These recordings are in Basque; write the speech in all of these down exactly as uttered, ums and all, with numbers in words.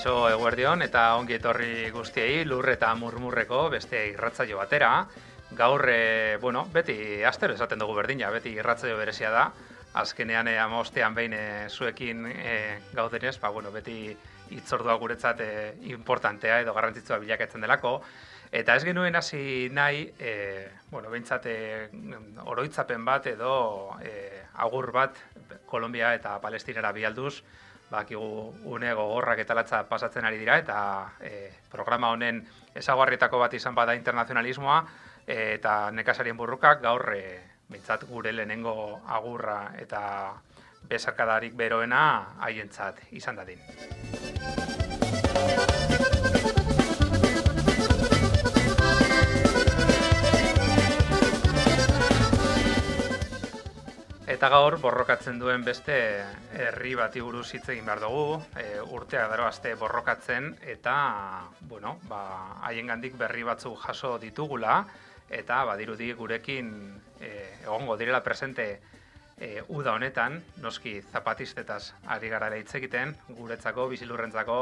Kaixo eguerdion eta ongi etorri guztiei lur eta murmurreko beste irratsaio batera. Gaur, e, bueno, beti astero esaten dugu berdina, beti irratsaio berezia da. Azkenean e, hamabostean behin e, zuekin e, gaudenez, ba, bueno, beti hitzordua guretzat e, importantea edo garrantzitsua bilakatzen delako. Eta ez genuen hasi nahi, e, bueno, behintzat e, oroitzapen bat edo e, agur bat Kolombia eta Palestinara bialduz, bakigu une gogorrak eta latza pasatzen ari dira, eta e, programa honen ezaugarrietako bat izan bada internazionalismoa, e, eta nekazarien burrukak gaur e, behintzat gure lehenengo agurra eta besarkadarik beroena haientzat izan dadin. Eta gaur borrokatzen duen beste herri bati buruz hitz egin behar dugu, e, urteak daroazte borrokatzen eta, bueno, ba, haiengandik berri batzuk jaso ditugula eta badirudi gurekin e, egongo direla presente e, uda honetan, noski zapatistetaz ari gara hitz egiten, guretzako, bizilurrentzako,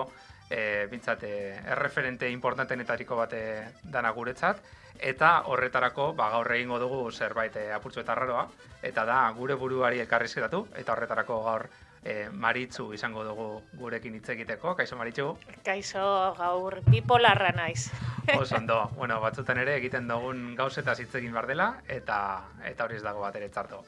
e, bintzat, e, erreferente importantenetariko bate dana guretzat, eta horretarako ba, gaur egingo dugu zerbait e, apurtxo eta arraroa, eta da gure buruari elkarrizketatu, eta horretarako gaur e, Maritxu izango dugu gurekin hitz egiteko. Kaixo, Maritxu? Kaixo, gaur bipolarra naiz. Oso ondo, bueno, batzutan ere egiten dugun gauzetaz hitz egin behar dela, eta, eta hori ez dago bat ere txarto.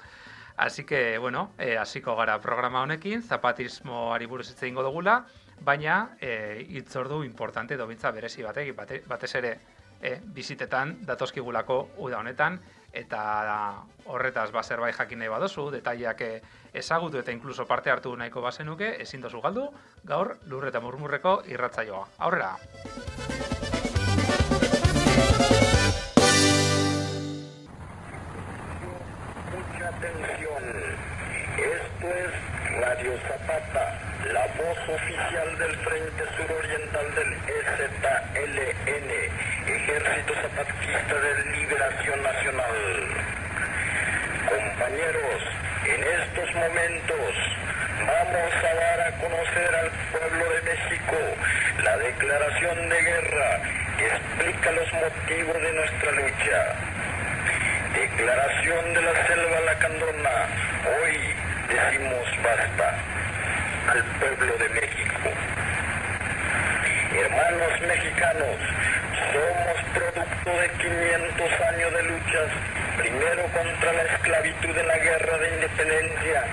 Así que, bueno, e, hasiko gara programa honekin, zapatismoari buruz hitz egingo dugula, baina e, hitzordu importante edo bintza berezi batek, bate, batez ere E, bizitetan datozkigulako uda honetan, eta horretaz ba zerbait jakin nahi badozu, detaileak ezagutu eta inkluso parte hartu nahiko bazenuke, ezin dozu galdu, gaur lur eta murmurreko irratsaioa. Aurrera! Mucha atención. Esto es Radio Zapata, la voz oficial del Frente Suroriental del E Z L N, Ejército Zapatista de Liberación Nacional. Compañeros, en estos momentos vamos a dar a conocer al pueblo de México la declaración de guerra que explica los motivos de nuestra lucha. Declaración de la Selva Lacandona. Hoy decimos basta al pueblo de México. Hermanos mexicanos, somos producto de quinientos años de luchas, primero contra la esclavitud en la guerra de independencia,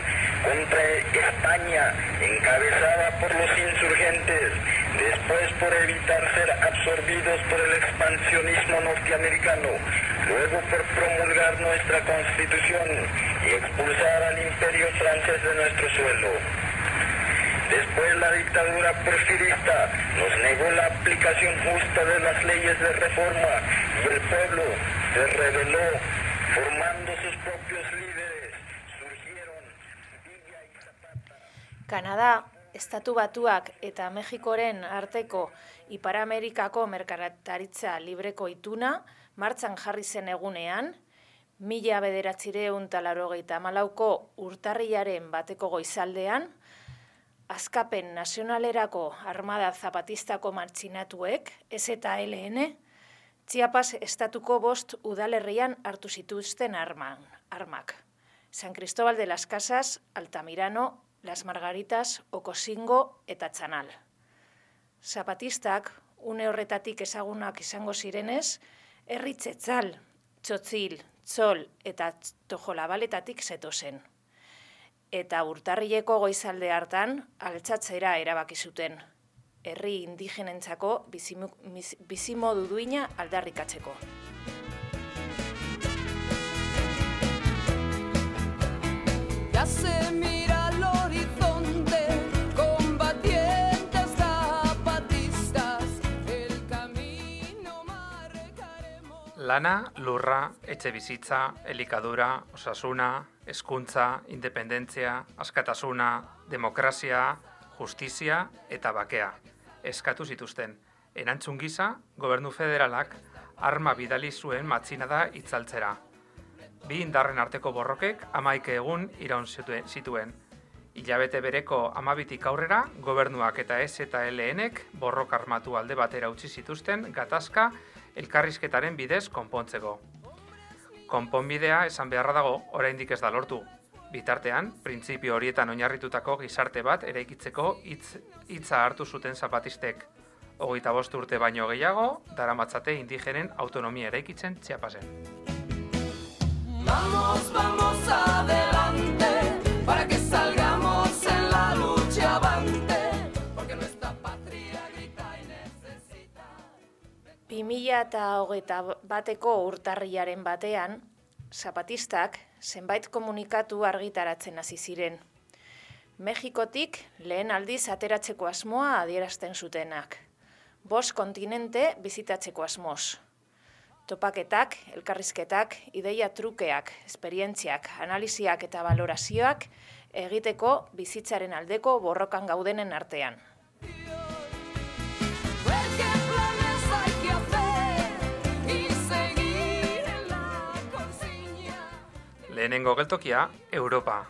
contra España, encabezada por los insurgentes, después por evitar ser absorbidos por el expansionismo norteamericano, luego por promulgar nuestra Constitución y expulsar al imperio francés de nuestro suelo. Después la dictadura porfirista nos negó la aplicación justa de las leyes de reforma y el pueblo se rebeló, formando sus propios líderes. Surgieron Villa y Zapata. Kanada, Estatu Batuak eta Mexikoren arteko Ipar-Amerikako merkataritza libreko ituna martxan jarri zen egunean, mila bederatziehun eta laurogeita hamalauko urtarrilaren bateko goizaldean, Askapen Nazionalerako Armada Zapatistako martxinatuek, E Z L N, Chiapas estatuko bost udalerrian hartu zituzten arman, armak. San Cristóbal de las Casas, Altamirano, Las Margaritas, Ocosingo eta Txanal. Zapatistak, une horretatik ezagunak izango zirenez, herri Txetzal, Txotzil, Txol eta Tojolabaletatik zetozen. Eta urtarrileko goizalde hartan altxatzera erabaki zuten, herri indigenentzako bizimodu duina aldarrikatzeko. Ya se mira al horizonte, combatientes zapatistas, el camino marcaremos. Lana, lurra, etxe bizitza, elikadura, osasuna, hezkuntza, independentzia, askatasuna, demokrazia, justizia eta bakea eskatu zituzten. Erantzun gisa, gobernu federalak arma bidali zuen matxinada itzaltzera. Bi indarren arteko borrokek hamaika egun iraun zituen. Hilabete bereko amabitik aurrera, gobernuak eta S eta L N-ek borroka armatu alde batera utzi zituzten gatazka elkarrizketaren bidez konpontzeko. Konponbidea esan beharra dago, oraindik ez da lortu. Bitartean, printzipio horietan oinarritutako gizarte bat eraikitzeko hitz hitza hartu zuten zapatistek. Hogeita bost urte baino gehiago, daramatzate indigenen autonomia eraikitzen Chiapasen. Vamos, vamos adelante, para que salgamos en la lucha avante, porque nuestra patria grita y necesita. bi mila eta hogeita bateko urtarrilaren batean, zapatistak zenbait komunikatu argitaratzen hasi ziren. Mexikotik lehen aldiz ateratzeko asmoa adierazten zutenak. Bost kontinente bizitatzeko asmoz. Topaketak, elkarrizketak, ideia trukeak, esperientziak, analiziak eta valorazioak egiteko bizitzaren aldeko borrokan gaudenen artean. Ver qué planes hay que hacer y seguir en la consigna. Lehenengo geltokia, Europa.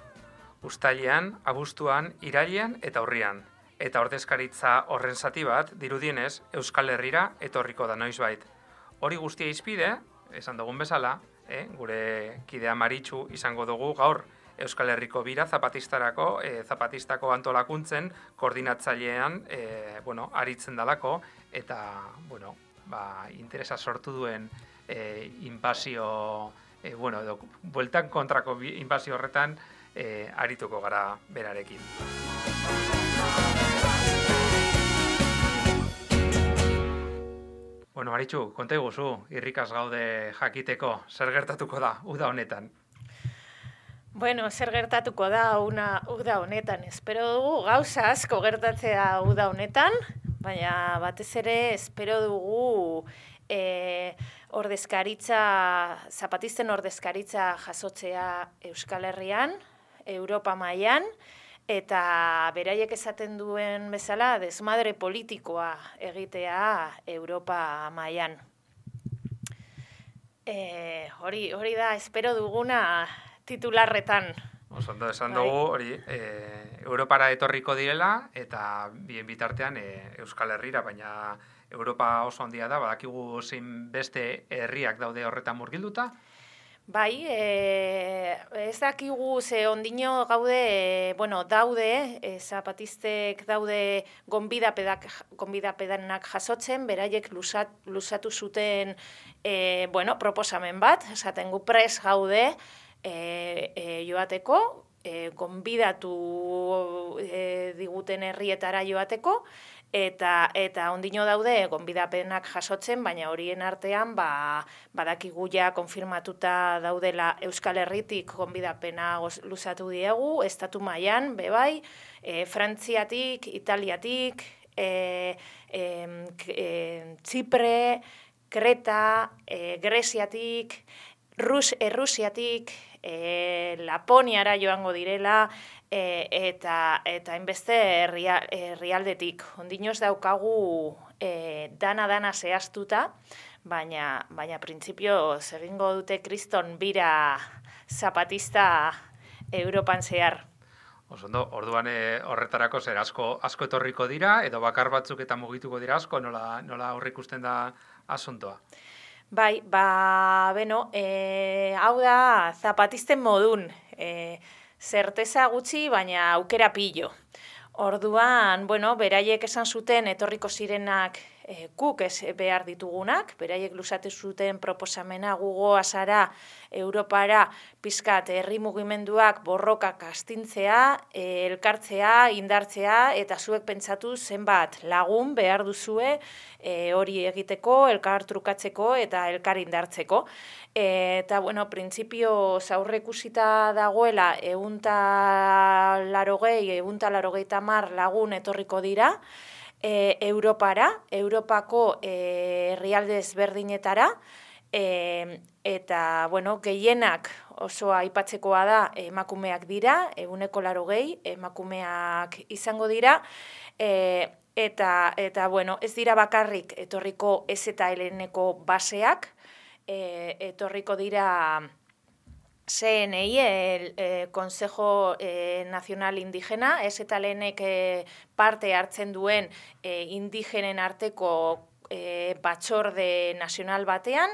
Uztailean, abuztuan, irailean eta urrian. Eta ordezkaritza horren zati bat, dirudienez, Euskal Herrira etorriko da noizbait. Hori guztia izpide, esan dugun bezala, eh, gure kidea Maritxu izango dugu gaur Euskal Herriko bira zapatistarako, eh, zapatistako antolakuntzen koordinatzailean eh, bueno, aritzen dalako, eta bueno, ba, interesa sortu duen eh, inbasio, eh, bueno, edo, bueltan kontrako inbasio horretan eh, arituko gara berarekin. Bueno, Maritxu, konta iguzu, irrikaz gaude jakiteko, zer gertatuko da, uda honetan? Bueno, zer gertatuko da una uda honetan. Espero dugu gauza asko gertatzea uda honetan, baina batez ere espero dugu e, ordezkaritza, zapatisten ordezkaritza jasotzea Euskal Herrian, Europa mailan, eta beraiek esaten duen bezala desmadre politikoa egitea Europa mailan. E, hori, hori da, espero duguna titularretan. Osondo esan dugu hori e, Europara etorriko direla eta bien bitartean e, Euskal Herrira, baina Europa oso handia da, badakigu zein beste herriak daude horretan murgilduta. Bai, e, ez dakigu ze ondino gaude, e, bueno, daude, e, zapatistek daude gonbidapedak, gonbidapedanak jasotzen, beraiek lusat, lusatu zuten e, bueno, proposamen bat, esaten gu pres gaude e, e, joateko, e, gonbidatu e, diguten herrietara joateko, Eta eta ondino daude gonbidapenak jasotzen, baina horien artean ba, badakigu ja konfirmatuta daudela Euskal Herritik gonbidapena luzatu diegu, estatu mailan bebai, e, Frantziatik, Italiatik, e, e, e, Txipre, Kreta, e, Greziatik, Rus, Errusiatik, e, Laponiara joango direla, E, eta eta hainbeste herrialdetik. Ondinoz daukagu e, dana-dana zehaztuta, baina, baina printzipio egingo dute kriston bira zapatista Europan zehar. Osondo, orduan e, horretarako zer asko asko etorriko dira, edo bakar batzuk eta mugituko dira asko, nola, nola aurreikusten da asuntoa? Bai, ba, beno, e, hau da zapatisten modun, e, zerteza gutxi, baina aukera pillo. Orduan, bueno, beraiek esan zuten etorriko zirenak e, guk ez behar ditugunak, beraiek luzatu zuten proposamena gugoa zara Europara pizkat herri mugimenduak borrokak astintzea, e, elkartzea, indartzea, eta zuek pentsatu zenbat lagun behar duzue e, hori egiteko, elkar trukatzeko eta elkar indartzeko. E, eta, bueno, printzipio zaurrekusita dagoela ehunta larogei, ehunta larogeita hamar lagun etorriko dira, E, Europara, Europako e, herrialde ezberdinetara, e, eta, bueno, gehienak oso aipatzekoa da emakumeak dira, ehuneko laurogei emakumeak izango dira, e, eta, eta, bueno, ez dira bakarrik etorriko ez eta heleneko baseak, e, etorriko dira C N I, el eh, Consejo eh, Nacional Indigena, ez eta lehenek eh, parte hartzen duen eh, indigenen arteko eh, batzorde nazional batean,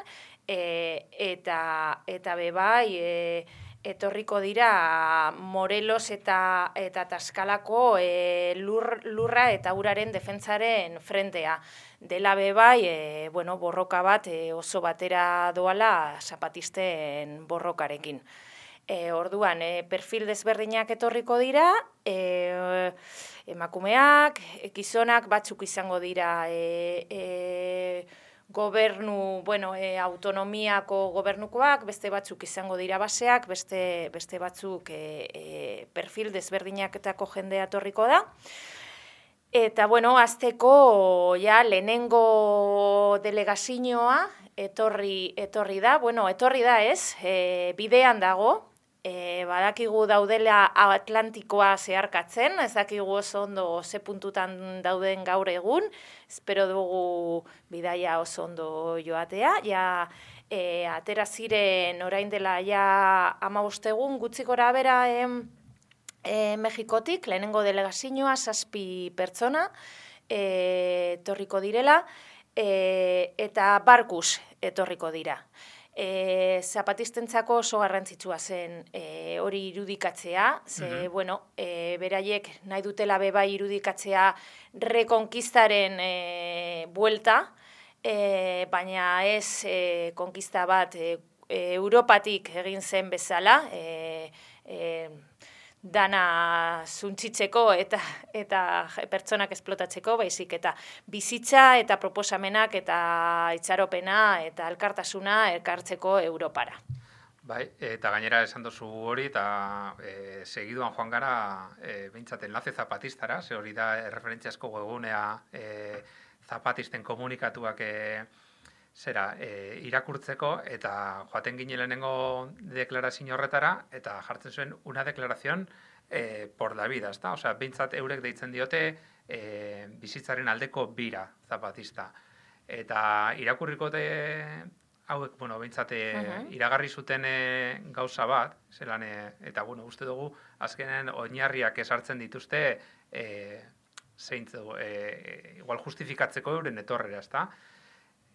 eh, eta, eta bebai, eh, etorriko dira Morelos eta eta Taskalako e, lur, lurra eta uraren defentsaren frentea. Dela bebai, e, bueno, borroka bat e, oso batera doala zapatisten borrokarekin. E, orduan, e, perfil desberdinak etorriko dira, e, emakumeak, gizonak batzuk izango dira e, e, gobernu, bueno, e, autonomiako gobernukoak, beste batzuk izango dira baseak, beste, beste batzuk e, e, perfil desberdinaketako jendea etorriko da. Eta, bueno, azteko ja lehenengo delegazioa etorri, etorri da, bueno, etorri da ez, e, bidean dago, e, badakigu daudela Atlantikoa zeharkatzen, ez dakigu oso ondo ze puntutan dauden gaur egun, espero dugu bidaia oso ondo joatea, ja e, atera ziren orain dela ja hamabost egun gutxi gora bera e, e, Mexikotik, lehenengo delegazioa zazpi pertsona e, etorriko direla, e, eta barkuz etorriko dira. E, zapatistentzako oso garrantzitsua zen e, hori irudikatzea, ze, mm-hmm. bueno, e, beraiek nahi dutela bebai irudikatzea rekonkistaren e, buelta, e, baina ez e, konkista bat e, Europatik egin zen bezala, e, e, dana zuntzitzeko eta eta pertsonak esplotatzeko, baizik eta bizitza eta proposamenak eta itxaropena eta elkartasuna elkartzeko Europara. Bai, eta gainera esan duzu hori, eta e, segiduan joan gara e, behintzat enlace zapatistara, ze hori da referentziasko webgunea e, zapatisten komunikatuak e, zera, e, irakurtzeko, eta joaten ginen lehenengo deklarazio horretara, eta jartzen zuen una deklarazion e, por la vida, ezta? Osea, behintzat eurek deitzen diote e, bizitzaren aldeko bira zapatista. Eta irakurrikote hauek, bueno, behintzat uh-huh. iragarri zuten e, gauza bat, zelan, e, eta, bueno, uste dugu, azkenen oinarriak esartzen dituzte, e, zeintzu, e, igual justifikatzeko euren etorrera, ezta?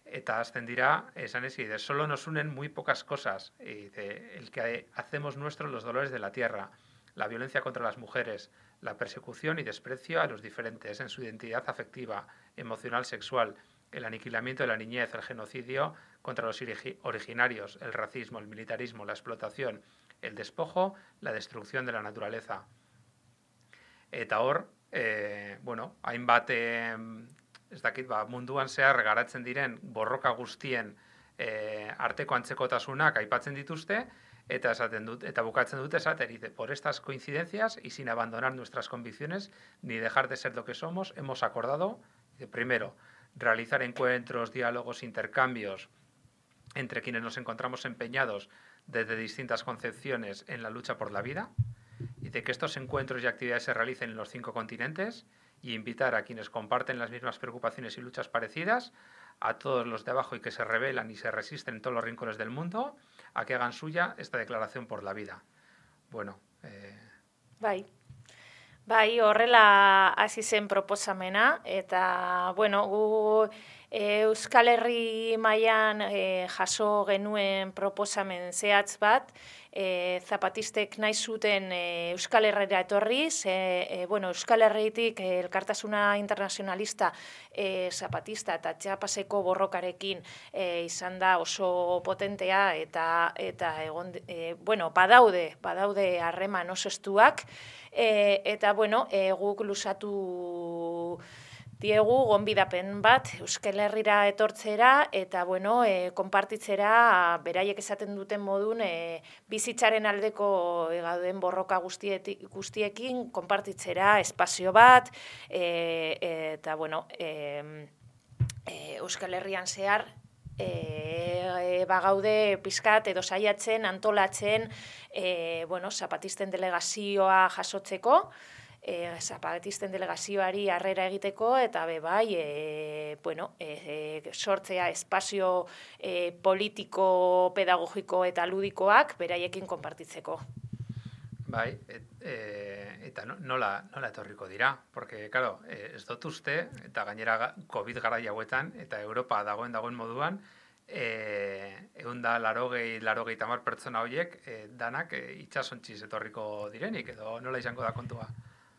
Eta azten dira, esan ez, de solo nos unen muy pocas cosas, y de, el que hacemos nuestros los dolores de la tierra, la violencia contra las mujeres, la persecución y desprecio a los diferentes en su identidad afectiva, emocional, sexual, el aniquilamiento de la niñez, el genocidio contra los originarios, el racismo, el militarismo, la explotación, el despojo, la destrucción de la naturaleza. Eta hor, eh, bueno, hainbat... Eh, ez dakit, ba, munduan zehar garatzen diren borroka guztien e, arteko antzekotasunak aipatzen dituzte, eta esaten dut, eta bukatzen dute esateri, por estas coincidencias y sin abandonar nuestras convicciones ni dejar de ser lo que somos, hemos acordado, primero, realizar encuentros, diálogos, intercambios entre quienes nos encontramos empeñados desde distintas concepciones en la lucha por la vida, y de que estos encuentros y actividades se realicen en los cinco continentes, y invitar a quienes comparten las mismas preocupaciones y luchas parecidas, a todos los de abajo y que se rebelan y se resisten en todos los rincones del mundo, a que hagan suya esta declaración por la vida. Bueno, eh... Bai. Bai, horrela hasi zen proposamena, eta, bueno, gu e, Euskal Herri mailan e, jaso genuen proposamen zehatz bat, e, zapatistek nahi zuten e, Euskal Herrira etorriz, e, e, bueno, Euskal Herritik e, elkartasuna internazionalista e, zapatista eta Txapaseko borrokarekin e, izan da oso potentea, eta, eta egon, e, bueno, badaude, badaude harreman oso estuak, E, eta, bueno, e, guk luzatu diegu gonbidapen bat Euskal Herrira etortzera, eta, bueno, e, konpartitzera beraiek esaten duten modun e, bizitzaren aldeko e, gauden borroka guztietik, guztiekin konpartitzera espazio bat, e, e, eta, bueno, e, e, Euskal Herrian zehar, E, e, bagaude pizkat edo saiatzen, antolatzen, e, bueno, zapatisten delegazioa jasotzeko, e, zapatisten delegazioari harrera egiteko, eta be bai, e, bueno, e, e, sortzea espazio e, politiko, pedagogiko eta ludikoak beraiekin konpartitzeko. Bai, et, e, eta no, nola, nola etorriko dira, porque, claro, e, ez dut uste, eta gainera COVID garai hauetan, eta Europa dagoen dagoen moduan, e, egun da larogei, larogei tamar pertsona horiek, e, danak e, itxasontziz etorriko direnik, edo nola izango da kontua?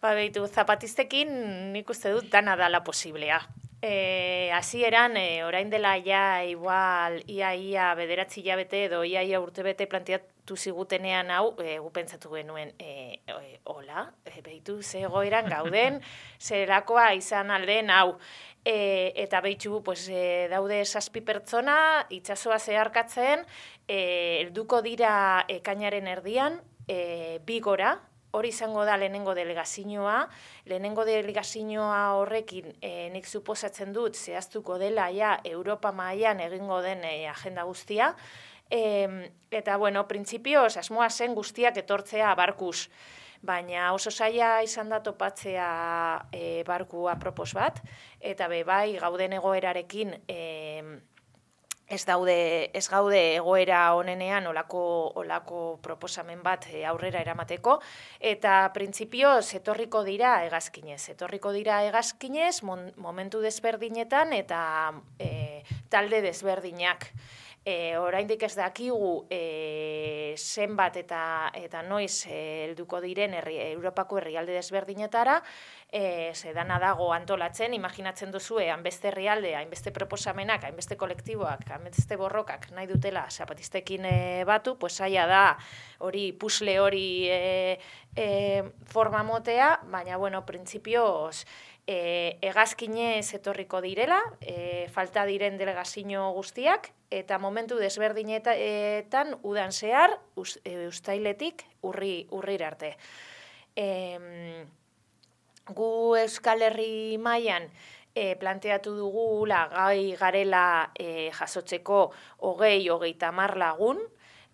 Ba, behitu, zapatistekin nik uste dut dana dala posiblea. E, hasieran, e, orain dela ja, igual, ia, ia, bederatzi hilabete edo ia, ia urtebete planteatu zigutenean hau, e, gu pentsatu genuen, e, e, hola, e, behitu, ze egoeran gauden, zerakoa izan alden hau. E, eta behitxu, pues, e, daude zazpi pertsona, itsasoa zeharkatzen, e, helduko dira ekainaren erdian, e, bi gora, hori izango da lehenengo delegazioa, lehenengo delegazioa horrekin e, nik suposatzen dut zehaztuko dela ja Europa mailan egingo den e, agenda guztia, e, eta bueno, printzipioz asmoa zen guztiak etortzea barkuz, baina oso zaila izan da topatzea e, barku apropos bat, eta be bai gauden egoerarekin e, Ez daude, ez gaude egoera honenean olako, olako proposamen bat aurrera eramateko, eta printzipioz etorriko dira hegazkinez. Etorriko dira hegazkinez momentu desberdinetan eta e, talde desberdinak. E, oraindik ez dakigu e, zenbat eta, eta noiz helduko diren herri, Europako herrialde desberdinetara, e, zedana dago antolatzen, imaginatzen duzue, hainbeste herrialde, hainbeste proposamenak, hainbeste kolektiboak, hainbeste borrokak nahi dutela zapatistekin e, batu, pues zaila da hori pusle hori e, e, forma motea, baina bueno, printzipioz, E, hegazkinez etorriko direla, e, falta diren delegazio guztiak, eta momentu desberdinetan udan zehar, us, e, ustailetik urri, urrir arte. E, gu Euskal Herri mailan e, planteatu dugula gai garela e, jasotzeko hogei, hogeita hamar lagun,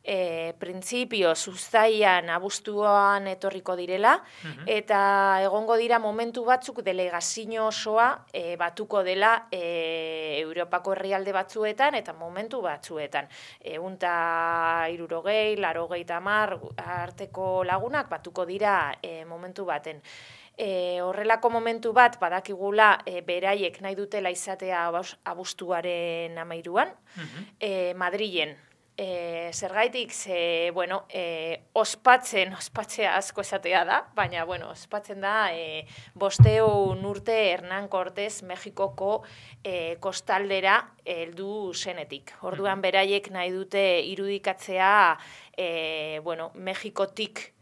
E, printzipio uztailan abuztuan etorriko direla, uh-huh. eta egongo dira momentu batzuk delegazio osoa e, batuko dela e, Europako herrialde batzuetan eta momentu batzuetan. Ehun eta hirurogei, laurogei hamar arteko lagunak batuko dira e, momentu baten. E, horrelako momentu bat badakigula e, beraiek nahi dutela izatea abuztuaren hamairuan, uh-huh. e, Madrilen. E, zergaitik, ze, bueno, e, ospatzen, ospatzea asko esatea da, baina, bueno, ospatzen da e, bosteun urte Hernán Cortés Mexikoko e, kostaldera heldu zenetik. Orduan beraiek nahi dute irudikatzea, e, bueno, Mexikotik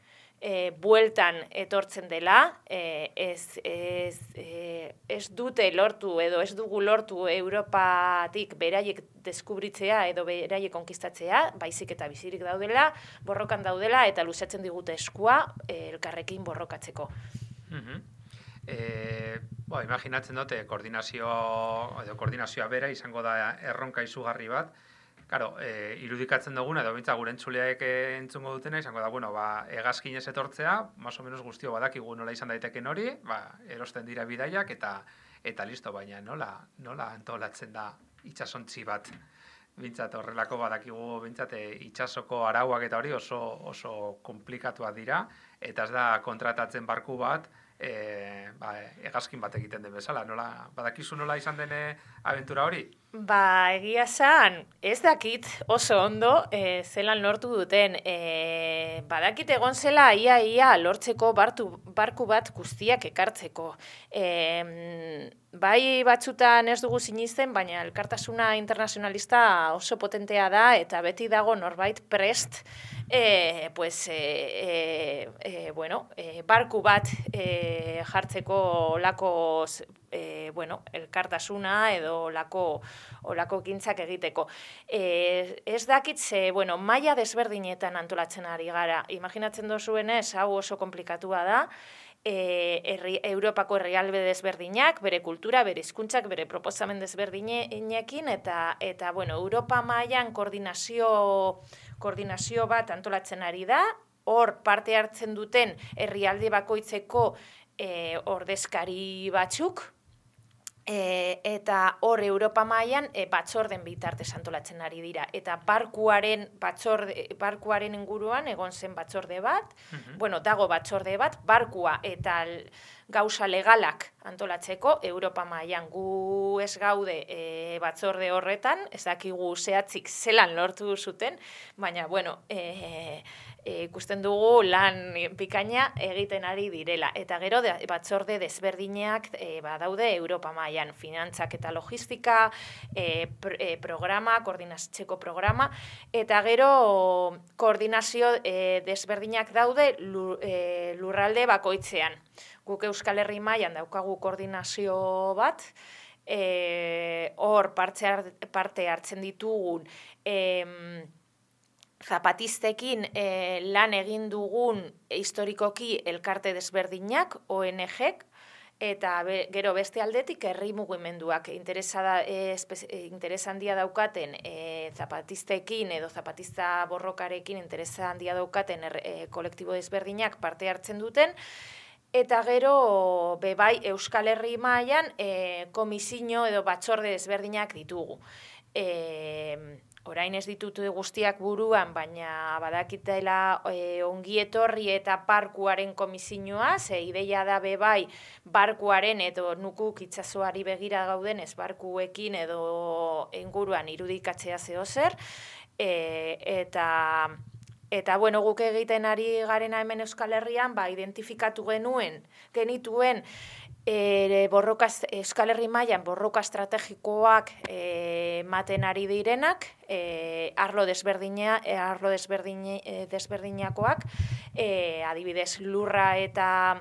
E, bueltan etortzen dela, e, ez, ez, e, ez dute lortu edo ez dugu lortu Europatik beraiek deskubritzea edo beraiek konkistatzea, baizik eta bizirik daudela, borrokan daudela eta luzatzen digute eskua e, elkarrekin borrokatzeko. Uh-huh. E, bo, imaginatzen dute koordinazio, edo koordinazioa bera izango da erronka izugarri bat. Claro, e, irudikatzen duguna, edo bintza gure entzuleak entzungo dutena, izango da, bueno, ba, hegazkinez etortzea, más o menos guztio badakigu nola izan daiteken hori, ba, erosten dira bidaiak, eta eta listo, baina nola, nola antolatzen da itsasontzi bat. Bintzat, horrelako badakigu, bintzat, itsasoko arauak eta hori oso, oso komplikatuak dira, eta ez da kontratatzen barku bat, e, ba, hegazkin bat egiten den bezala. Nola, badakizu nola izan den abentura hori? Ba, egia zan, ez dakit oso ondo e, zelan lortu duten. E, badakit egon zela ia ia lortzeko bartu, barku bat guztiak ekartzeko. E, bai batzutan ez dugu sinisten, baina elkartasuna internazionalista oso potentea da eta beti dago norbait prest e, pues, e, e, e, bueno, e, barku bat e, jartzeko lako e, bueno, elkartasuna edo lako olako ekintzak egiteko. E, ez dakit ze, bueno, maila desberdinetan antolatzen ari gara. Imaginatzen dozuenez, hau oso komplikatua da, e, herri, Europako herrialde desberdinak, bere kultura, bere hizkuntzak, bere proposamen desberdinekin, eta, eta bueno, Europa mailan koordinazio, koordinazio bat antolatzen ari da, hor parte hartzen duten herrialde bakoitzeko e, ordezkari batzuk, E, eta hor Europa mailan e, batzorden bitartez antolatzen ari dira. Eta barkuaren, batzorde, barkuaren inguruan egon zen batzorde bat, uh-huh. bueno, dago batzorde bat, barkua eta gauza legalak antolatzeko Europa mailan. Gu ez gaude e, batzorde horretan, ez dakigu zehatzik zelan lortu zuten, baina, bueno, e, E, ikusten dugu lan bikaina egiten ari direla. Eta gero de, batzorde desberdinak e, badaude Europa mailan, finantzak eta logistika, e, pr, e, programa, koordinatzeko programa, eta gero koordinazio e, desberdinak daude lur, e, lurralde bakoitzean. Guk Euskal Herri mailan daukagu koordinazio bat, e, hor parte, parte hartzen ditugun e, zapatistekin eh, lan egin dugun historikoki elkarte desberdinak, O N G-ek, eta be, gero beste aldetik herri mugimenduak interesa eh, interesa handia daukaten eh, zapatistekin edo zapatista borrokarekin interesa handia daukaten er, eh, kolektibo desberdinak parte hartzen duten, eta gero bebai Euskal Herri mailan eh, komisio edo batzorde desberdinak ditugu. Eh, Orain ez ditut guztiak buruan, baina badakitela e, ongi etorri eta barkuaren komisioa, ze ideia da bebai barkuaren edo nukuk itsasoari begira gauden ez barkuekin edo inguruan irudikatzea zeozer, e, eta Eta, bueno, guk egiten ari garena hemen Euskal Herrian, ba, identifikatu genuen, genituen, e, borroka, Euskal Herri mailan borroka estrategikoak ematen e, ari direnak, e, arlo desberdina, e, arlo desberdine, e, desberdinakoak, e, adibidez lurra eta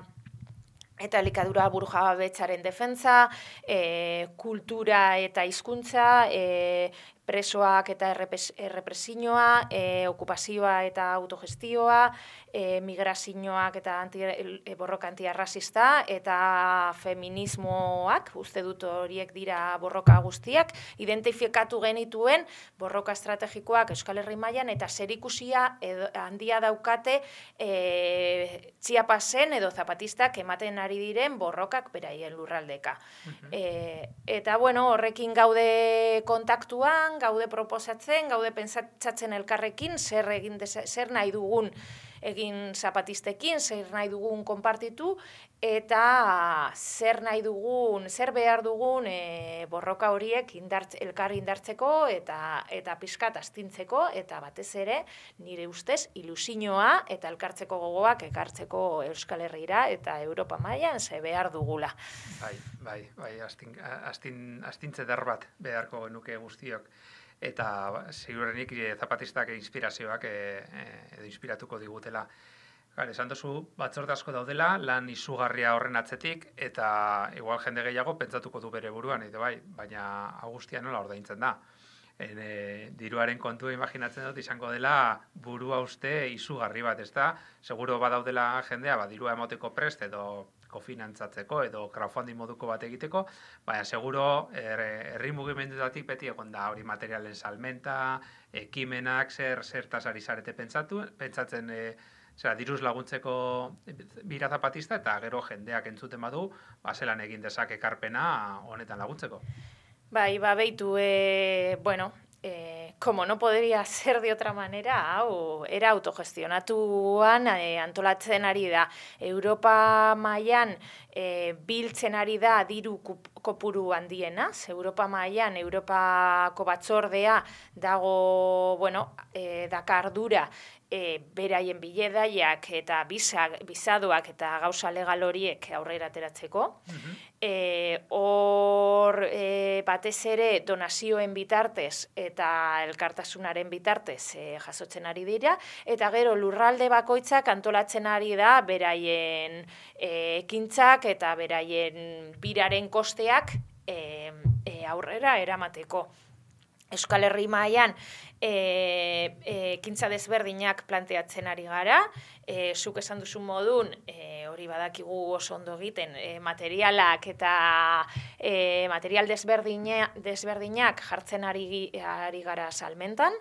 eta elikadura burujabetzaren defentsa, e, kultura eta hizkuntza, e, presoak eta errepresioa, e, okupazioa eta autogestioa, e, migrazioak eta anti, e, borroka antiarrazista eta feminismoak, uste dut horiek dira borroka guztiak, identifikatu genituen borroka estrategikoak Euskal Herri mailan eta zerikusia edo, handia daukate e, Chiapasen edo zapatistak ematen ari diren borrokak beraien lurraldeka. Uh-huh. e, eta bueno, horrekin gaude kontaktuan, gaude proposatzen, gaude pentsatzen elkarrekin, zer egin desa, zer nahi dugun egin zapatistekin, zer nahi dugun konpartitu, eta zer nahi dugun, zer behar dugun e, borroka horiek indart, elkar indartzeko eta eta pixkat astintzeko, eta batez ere, nire ustez, ilusioa eta elkartzeko gogoak ekartzeko Euskal Herrira eta Europa mailan ze behar dugula. Bai, bai, bai, astin, astin, astintze der bat beharko genuke guztiok. Eta segurenik zapatistak inspirazioak e, e, edo inspiratuko digutela. Gar, esan duzu batzorde asko daudela, lan izugarria horren atzetik, eta igual jende gehiago pentsatuko du bere buruan, edo bai, baina Augustia nola ordaintzen da. En, e, diruaren kontua imaginatzen dut izango dela burua uste izugarri bat, ez da? Seguro badaudela jendea, ba, dirua emoteko prest edo kofinantzatzeko edo crowdfunding moduko bat egiteko, baina seguro herri mugimendutatik beti egon da hori materialen salmenta, ekimenak, zer zertaz ari zarete pentsatu, pentsatzen e, zera, diruz laguntzeko bira zapatista eta gero jendeak entzuten badu, ba, zelan egin dezak ekarpena honetan laguntzeko. Bai, ba, beitu, e, bueno, eh, como no podría ser de otra manera, hau, era autogestionatuan eh, antolatzen ari da. Europa mailan eh, biltzen ari da diru kopuru handiena, Europa mailan, Europako batzordea dago, bueno, eh, dakardura, E, beraien biledaiak eta bizadoak eta gauza legal horiek aurrera ateratzeko. Uh-huh. E, hor e, batez ere donazioen bitartez eta elkartasunaren bitartez e, jasotzen ari dira, eta gero lurralde bakoitzak antolatzen ari da beraien e, ekintzak eta beraien biraren kosteak e, e, aurrera eramateko. Euskal Herri mailan e, e, ekintza desberdinak planteatzen ari gara, e, zuk esan duzu modun, e, hori badakigu oso ondo egiten, e, materialak eta e, material desberdina, desberdinak jartzen ari, ari gara salmentan,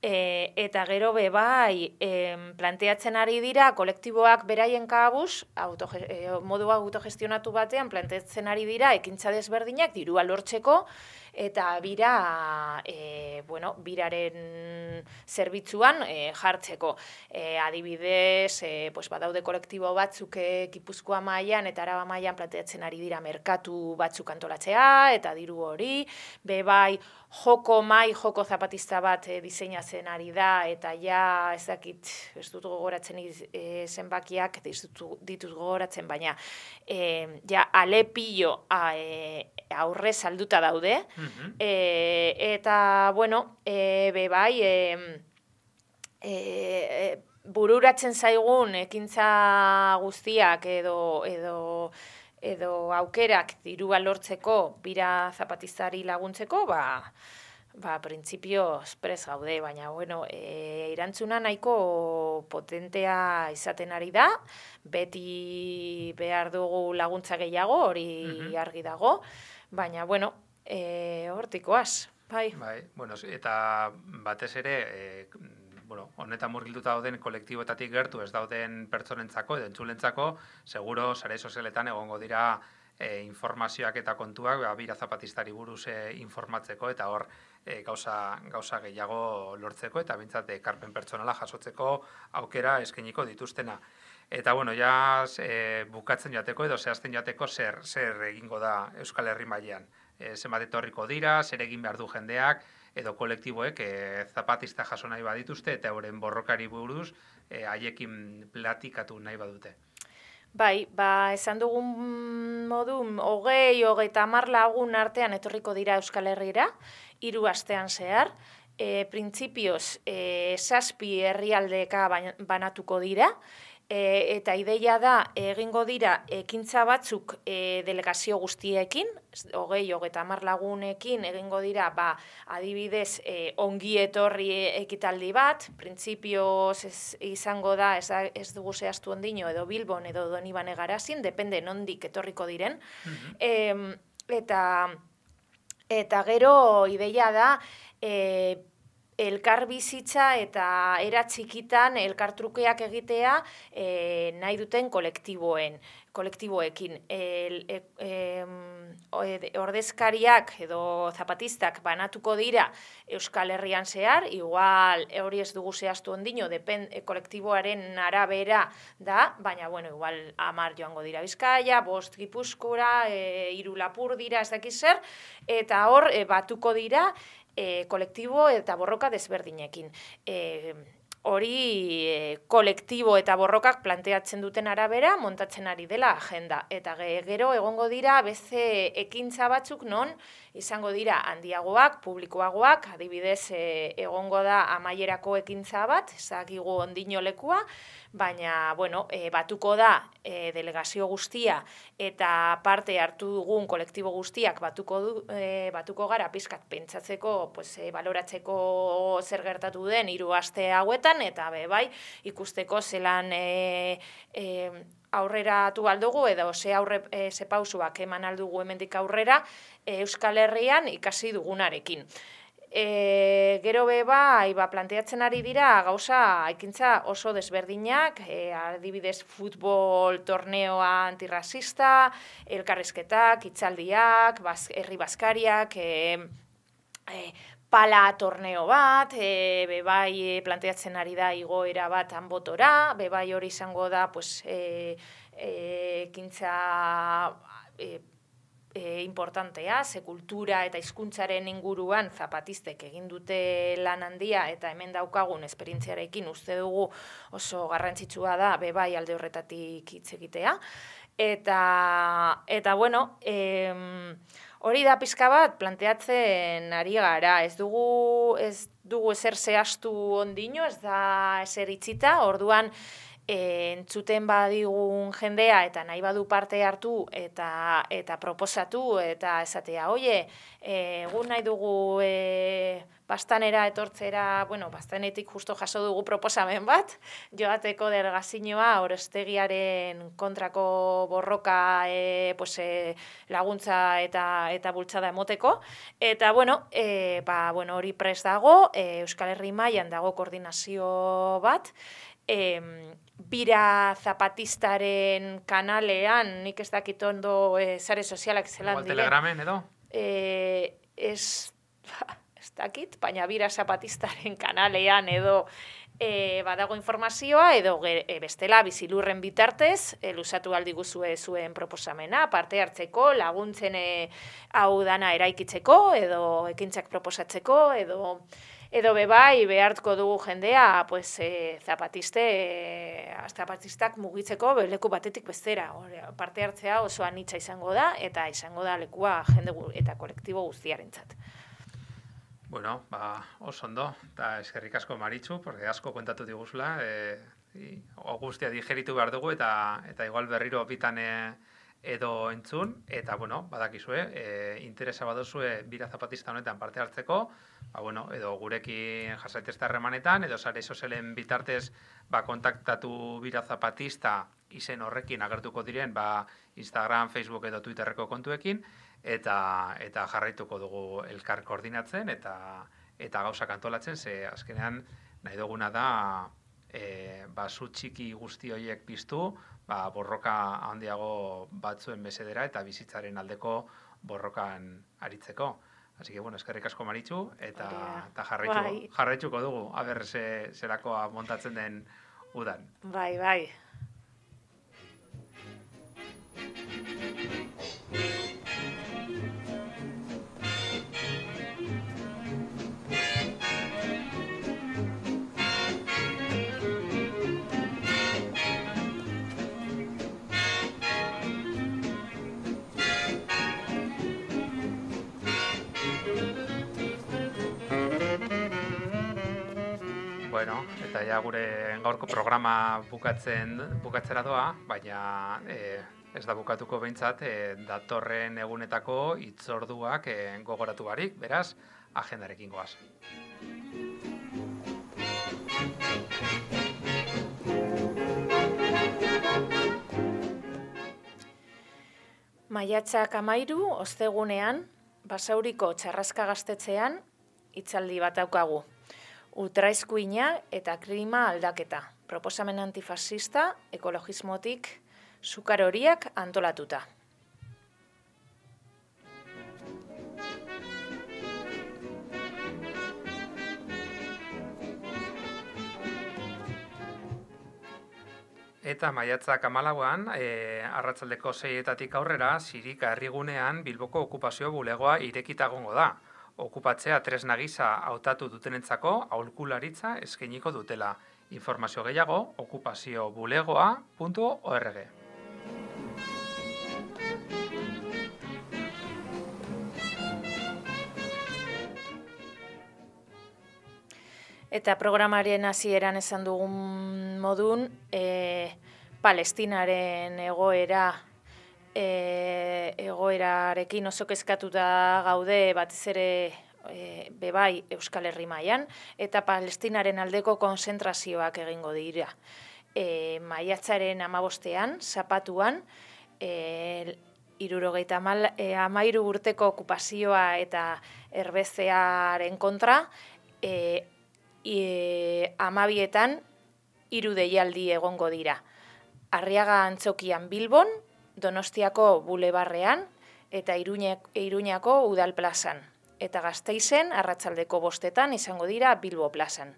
E, eta gero be bai, em, planteatzen ari dira kolektiboak beraien kabuz, autoge, e, modu autogestionatu batean planteatzen ari dira ekintza desberdinak dirua lortzeko, eta bira, e, bueno, biraren zerbitzuan e, jartzeko. E, adibidez, e, pues badaude kolektibo batzuk e, Gipuzkoa mailan eta Araba mailan planteatzen ari dira merkatu batzuk antolatzea, eta diru hori, be bai, joko mai, joko zapatista bat e, diseinatzen ari da, eta ja, ez dakit, ez dut gogoratzen e, zenbakiak, ez dut ditut gogoratzen, baina e, ja, alepillo a, e, aurre salduta daude, uh-huh. e, eta, bueno, e, be bai, e, e, e, bururatzen zaigun ekintza guztiak edo, edo edo aukerak dirua lortzeko bira zapatistari laguntzeko, ba, ba printzipio espres gaude, baina bueno, e, erantzuna nahiko potentea izaten ari da, beti behar dugu laguntza gehiago, hori uh-huh. argi dago, baina bueno, e, hortikoaz, bai. Bai, bueno, eta batez ere, e, bueno, honetan murgilduta dauden kolektiboetatik gertu ez dauden pertsonentzako edo entzulentzako, seguro sare sozialetan egongo dira e, informazioak eta kontuak ba, bira zapatistari buruz e, informatzeko eta hor e, gauza, gauza gehiago lortzeko eta bintzat ekarpen pertsonala jasotzeko aukera eskainiko dituztena. Eta bueno, ja e, bukatzen joateko edo zehazten joateko zer, zer egingo da Euskal Herri mailan. E, zenbat etorriko dira, zer egin behar du jendeak, edo kolektiboek e, zapatista jaso nahi badituzte eta euren borrokari buruz e, haiekin platikatu nahi badute. Bai, ba, esan dugun modu, hogei, hogeita hamar lagun artean etorriko dira Euskal Herrira, hiru astean zehar, e, printzipioz e, zazpi herrialdeka banatuko dira, E, eta ideia da egingo dira ekintza batzuk e, delegazio guztiekin, hogei, hogeita hamar lagunekin egingo dira ba, adibidez e, ongi etorri ekitaldi bat, printzipioz ez, izango da, ez, ez dugu zehaztu ondino edo Bilbon edo Donibane Garazin, depende nondik etorriko diren, uh-huh. e, eta, eta gero ideia da e, elkar bizitza eta era txikitan elkartrukeak egitea e, nahi duten kolektiboen, kolektiboekin. El, e, e, ordezkariak edo zapatistak banatuko dira Euskal Herrian zehar, igual hori ez dugu zehaztu ondino, depen, e, kolektiboaren arabera da, baina bueno, igual hamar joango dira Bizkaia, bost Gipuzkoara, e, hiru Lapurdira, ez dakiz zer, eta hor e, batuko dira E, kolektibo eta borroka desberdinekin. E, hori e, kolektibo eta borrokak planteatzen duten arabera montatzen ari dela agenda. Eta gero egongo dira beste ekintza batzuk non izango dira handiagoak, publikoagoak, adibidez e, egongo da amaierako ekintza bat, ezagigu ondino lekua, baina bueno, e, batuko da e, delegazio guztia eta parte hartu dugun kolektibo guztiak batuko, du, e, batuko gara pizkat pentsatzeko, pues, e, baloratzeko zer gertatu den hiru aste hauetan, eta be bai ikusteko zelan e, e, aurreratu aldugu edo ze aurre e, ze pausuak eman aldugu hemendik aurrera e, Euskal Herrian ikasi dugunarekin. E, gero be bai, ba, planteatzen ari dira gauza ekintza oso desberdinak, e, adibidez futbol torneoa antirrasista, elkarrizketak, hitzaldiak, baz, herri bazkariak, e, e, pala torneo bat, e, be bai planteatzen ari da igoera bat hanbotora, be bai hori izango da pues, e, e, ekintza e, E, importantea, ze kultura eta hizkuntzaren inguruan zapatistek egin dute lan handia eta hemen daukagun esperientziarekin uste dugu oso garrantzitsua da be bai alde horretatik hitz egitea. Eta, eta bueno, em, hori da pizka bat planteatzen ari gara, ez dugu, ez dugu ezer zehaztu ondino, ez da ezer itxita, orduan e, entzuten badigun jendea eta nahi badu parte hartu eta eta proposatu eta esatea, oie, e, egun nahi dugu e, Bastanera etortzera, bueno, Bastanetik justo jaso dugu proposamen bat, joateko delegazioa Orestegiaren kontrako borroka e, pues, e, laguntza eta eta bultzada emoteko. Eta, bueno, e, ba, bueno, hori prest dago, e, Euskal Herri mailan dago koordinazio bat, e, Bira Zapatistaren kanalean, nik ez dakit ondo e, sare sozialak zelan Igual diren. Telegramen edo? E, ez... ez dakit, baina Bira Zapatistaren kanalean edo e, badago informazioa, edo e, bestela bizilurren bitartez, e, luzatu aldi guzue zuen proposamena, parte hartzeko, laguntzen e, hau dana eraikitzeko, edo ekintzak proposatzeko, edo edo bebai behartko dugu jendea, pues, e, zapatiste, e, zapatistak mugitzeko leku batetik bestera. Hore, parte hartzea oso anitza izango da, eta izango da lekua jende gu, eta kolektibo guztiarentzat. Bueno, ba, oso ondo, eta eskerrik asko Maritxu, porque asko kontatu diguzula, e, guztia digeritu behar dugu, eta eta igual berriro bitan e, edo entzun, eta, bueno, badakizue, e, interesa baduzue Bira Zapatista honetan parte hartzeko, ba, bueno, edo gurekin jasaitezta harremanetan, edo sare sozialen bitartez, ba, kontaktatu Bira Zapatista izen horrekin agertuko diren, ba, Instagram, Facebook edo Twitterreko kontuekin, eta eta jarraituko dugu elkar koordinatzen eta eta gauzak antolatzen, ze azkenean nahi duguna da e, ba, zu txiki guzti horiek piztu, ba, borroka handiago batzuen mesedera eta bizitzaren aldeko borrokan aritzeko. Así que, bueno, eskerrik asko Maritxu, eta, eta jarraitu, bai. jarraituko dugu, aber ze, zerakoa montatzen den udan. Bai, bai. Bueno, eta ja gure gaurko programa bukatzen bukatzera doa, baina e, ez da bukatuko behintzat e, datorren egunetako hitzorduak e, gogoratu barik, beraz, agendarekin goaz. Maiatzak amairu, ostegunean, Basauriko Txarraska Gaztetxean, hitzaldi bat daukagu. Ultraeskuina eta klima aldaketa. Proposamen antifascista, ekologismotik, sukar horiak antolatuta. Eta maiatzak hamalauan, e, arratsaldeko seietatik aurrera, Zirika herrigunean Bilboko okupazio bulegoa irekita egongo da. Okupatzea tresna gisa hautatu dutenentzako aholkularitza eskainiko dutela. Informazio gehiago, okupaziobulegoa puntu org. Eta programaren hasieran esan dugun modun, e, Palestinaren egoera e, egoerarekin oso kezkatuta gaude batez ere e, bebai Euskal Herri mailan, eta Palestinaren aldeko konzentrazioak egingo dira. E, maiatzaren hamabostean, Zapatuan, e, hirurogeita hamairu urteko okupazioa eta erbestearen kontra, e, E, amabietan hiru deialdi egongo dira. Arriaga Antzokian Bilbon, Donostiako Bulebarrean eta Iruñako Udal plazan. Eta Gasteizen arratsaldeko bostetan izango dira Bilbo plazan.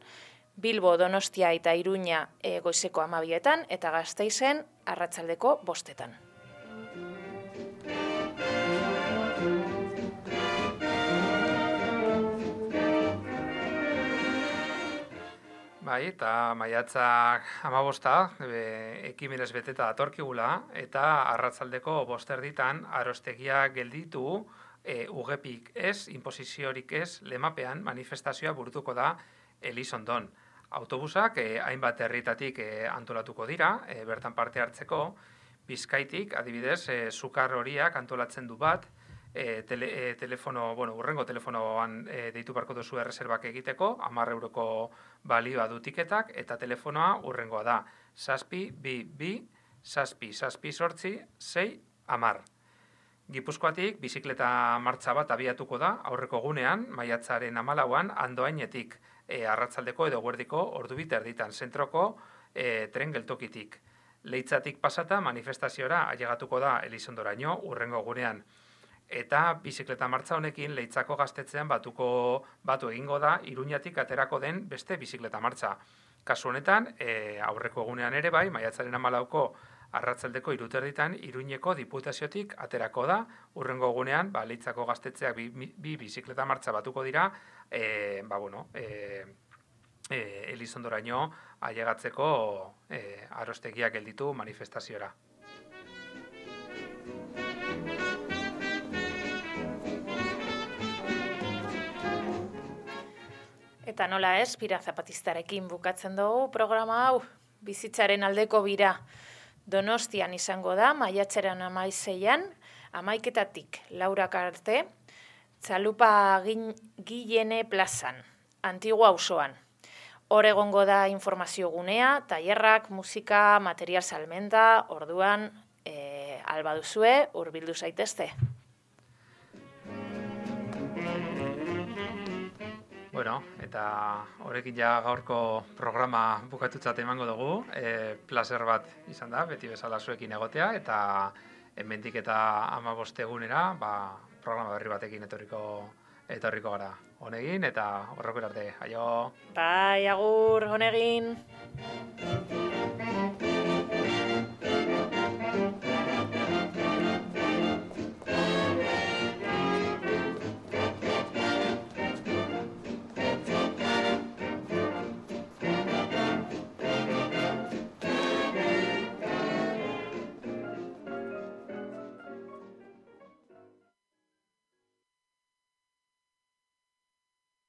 Bilbo, Donostia eta Iruña e, goizeko amabietan eta Gasteizen arratsaldeko bostetan. Bai, eta maiatzak hamabosta, e, ekimenez beteta datorkigula, eta arratsaldeko bosterditan arostegia gelditu, e, ugepik ez, inposiziorik ez, lemapean manifestazioa burutuko da Elizondon. Autobusak e, hainbat herritatik e, antolatuko dira, e, bertan parte hartzeko, Bizkaitik, adibidez, e, Sukar horiak antolatzen du bat, e, tele, e, telefono, bueno, urrengo telefonoan e, deitu barko duzu erreserbak egiteko, hamar euroko balioa du tiketak, eta telefonoa urrengoa da, zazpi, bi, bi, zazpi, zazpi, sortzi, sei, hamar. Gipuzkoatik, bizikleta martxa bat abiatuko da, aurreko gunean, maiatzaren hamalauan, Andoainetik, e, arratzaldeko edo guerdiko ordubit erditan, zentroko e, tren geltokitik. Leitzatik pasata manifestaziora ailegatuko da Elizondoraino urrengo gunean. Eta bizikleta martxa honekin Leitzako gaztetzean batuko batu egingo da Iruñatik aterako den beste bizikleta martxa. Kasu honetan, e, aurreko egunean ere bai, maiatzaren hamalauko arratzaldeko hiruterditan Iruñeko diputaziotik aterako da, urrengo egunean, ba, Leitzako gaztetzeak bi, bi bizikleta martxa batuko dira, e, ba, bueno, e, e, Elizondoraino ailegatzeko e, arostegiak gelditu manifestaziora. Eta nola ez, bira zapatistarekin bukatzen dugu programa hau, bizitzaren aldeko bira. Donostian izango da, maiatzaren amaizeian, amaiketatik laurak arte, Txalupa Gillene plazan, Antigua auzoan. Hor egongo da informazio gunea, tailerrak, musika, material salmenta, orduan, e, alba duzue, hurbildu zaitezte. Bueno, eta horrekin ja gaurko programa bukatutzat emango dugu, e, placer bat izan da, beti bezala zuekin egotea, eta hemendik eta hamabost egunera, ba, programa berri batekin etorriko, etorriko gara. Honegin, eta horreko arte, aio! Bai, agur, honegin!